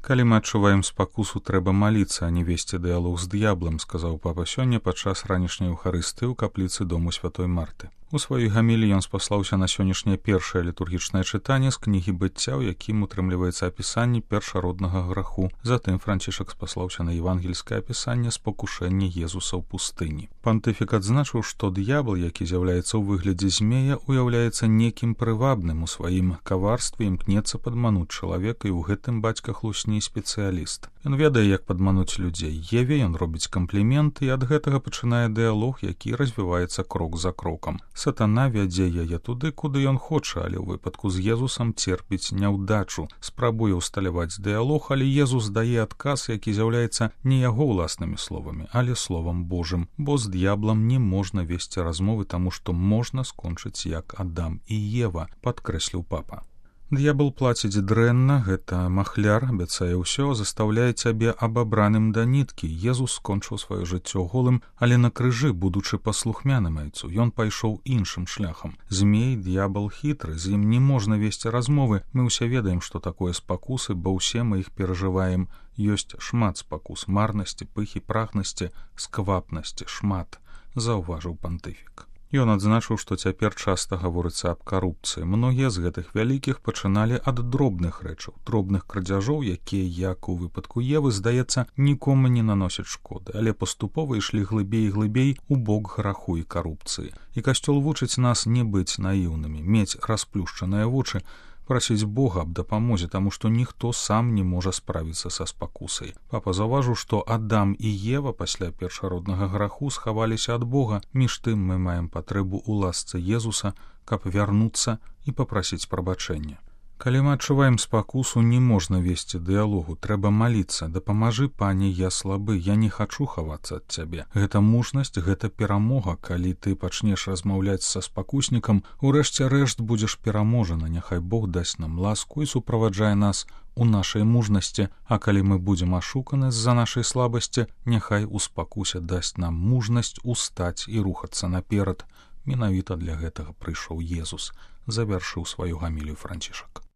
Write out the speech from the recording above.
Калі мы адчуваем спакусу, трэба маліцца, а не весці дыялог з д'яблам, сказаў папа сёння падчас ранішняй эўхарыстыі ў капліцы дому святой Марты. У сваёй гаміліі ён спаслаўся на сённяшняе першае літургічнае чытанне з кнігі быцця, у якім утрымліваецца апісанне першароднага граху. Затым Францішак спаслаўся на евангельскае апісанне спакушэння Езуса ў пустыні. Пантыфік адзначыў, што д'ябл, які з'яўляецца ў выглядзе змея, уяўляецца некім прывабным у сваім каварстве, імкнецца падмануць чалавека, і ў гэтым бацька хлусні спецыяліст. Ён ведае, як падмануць людзей. Еве ён робіць кампліменты, і ад гэтага пачынае дыялог, які развіваецца крок за крокам. Сатана вядзе яе туды, куды ён хоча, але ў выпадку з Езусам церпіць няўдачу, спрабуе ўсталяваць дыялог, але Езус дае адказ, які з'яўляецца не яго ўласнымі словамі, але словам Божым, бо з д'яблам не можна весці размовы, таму што можна скончыць як Адам і Ева, падкрэсліў папа. Д'ябл плаціць дрэнна, гэта махляр, абяцае ўсё, застаўляе цябе абабраным да ніткі. Езус скончыў сваё жыццё голым, але на крыжы, будучы паслухмяным айцу, ён пайшоў іншым шляхам. Змей, д'ябл хітры, з ім не можна весці размовы. Мы ўсе ведаем, што такое спакусы, бо ўсе мы іх перажываем. Ёсць шмат спакус, марнасці, пыхі, прагнасці, сквапнасці, шмат, заўважыў пантыфік. Ён адзначыў, што цяпер часта гаворыцца аб карупцыі. Многія з гэтых вялікіх пачыналі ад дробных рэчаў, дробных крадзяжоў, якія, як у выпадку Евы, здаецца, нікому не наносяць шкоды, але паступова ішлі глыбей і глыбей у бок граху і карупцыі. І Касцёл вучыць нас не быць наіўнымі, мець расплюшчаныя вочы, прасіць Бога аб дапамозе, таму што ніхто сам не можа справіцца са спакусай. Папа заўважыў, што Адам і Ева пасля першароднага граху схаваліся ад Бога. Між тым мы маем патрэбу ў ласцы Езуса, каб вярнуцца і папрасіць прабачэння. Калі мы адчуваем спакусу, не можна весці дыялогу, трэба маліцца. Дапамажы, пане, я слабы, я не хачу хавацца ад цябе. Гэта мужнасць, гэта перамога. Калі ты пачнеш размаўляць са спакуснікам, урэшце рэшт будзеш пераможана. Няхай Бог дасць нам ласку і суправаджае нас у нашай мужнасці, а калі мы будзем ашуканы з-за нашай слабасці, няхай у спакусе дасць нам мужнасць устаць і рухацца наперад. Менавіта для гэтага прыйшоў Езус, завяршыў сваю гамілію Францішак.